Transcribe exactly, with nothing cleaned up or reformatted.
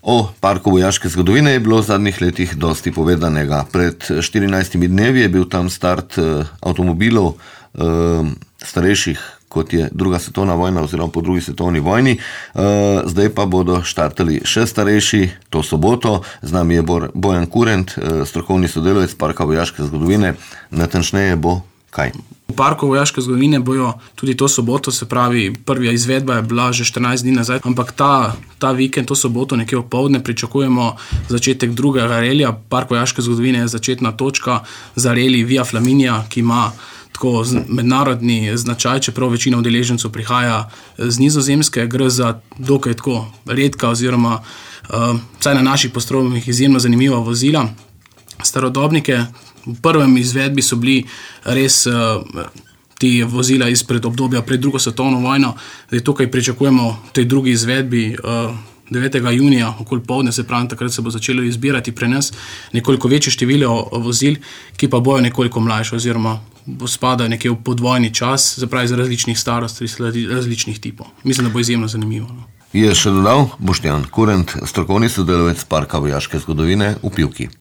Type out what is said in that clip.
O parku vojaške zgodovine je bilo v zadnjih letih dosti povedanega. Pred štirinajstimi dnevi je bil tam start avtomobilov starejših, kot je druga svetovna vojna oziroma po drugi svetovni vojni. Zdaj pa bodo štartali še starejši to soboto. Z nami je Bojan Kurent, strokovni sodelavec parka vojaške zgodovine. Natančneje bo kaj? V parku vojaške zgodovine bojo tudi to soboto, se pravi, prva izvedba je bila že štirinajst dni nazaj, ampak ta, ta vikend, to soboto, nekje opoldne, pričakujemo začetek drugega relija. Park vojaške zgodovine je začetna točka za relij Via Flaminia, ki ima tako mednarodni značaj, čeprav večina udeležencev prihaja z Nizozemske. Gre za dokaj tako redka oziroma uh, vsaj na naših postrovih izjemno zanimiva vozila. Starodobnike. V prvem izvedbi so bili res uh, ti vozila izpred obdobja pred drugo svetovno vojno. Zdaj tukaj pričakujemo v tej drugi izvedbi uh, devetega junija, okoli poldne, se pravi, takrat se bo začelo izbirati pri nas nekoliko večje število vozil, ki pa bojo nekoliko mlajše oziroma spadajo nekje v podvojni čas, se pravi, iz različnih starosti, različnih tipov. Mislim, da bo izjemno zanimivo. No. Je še dodal Boštjan Kurent, strokovni sodelavec parka vojaške zgodovine v Pivki.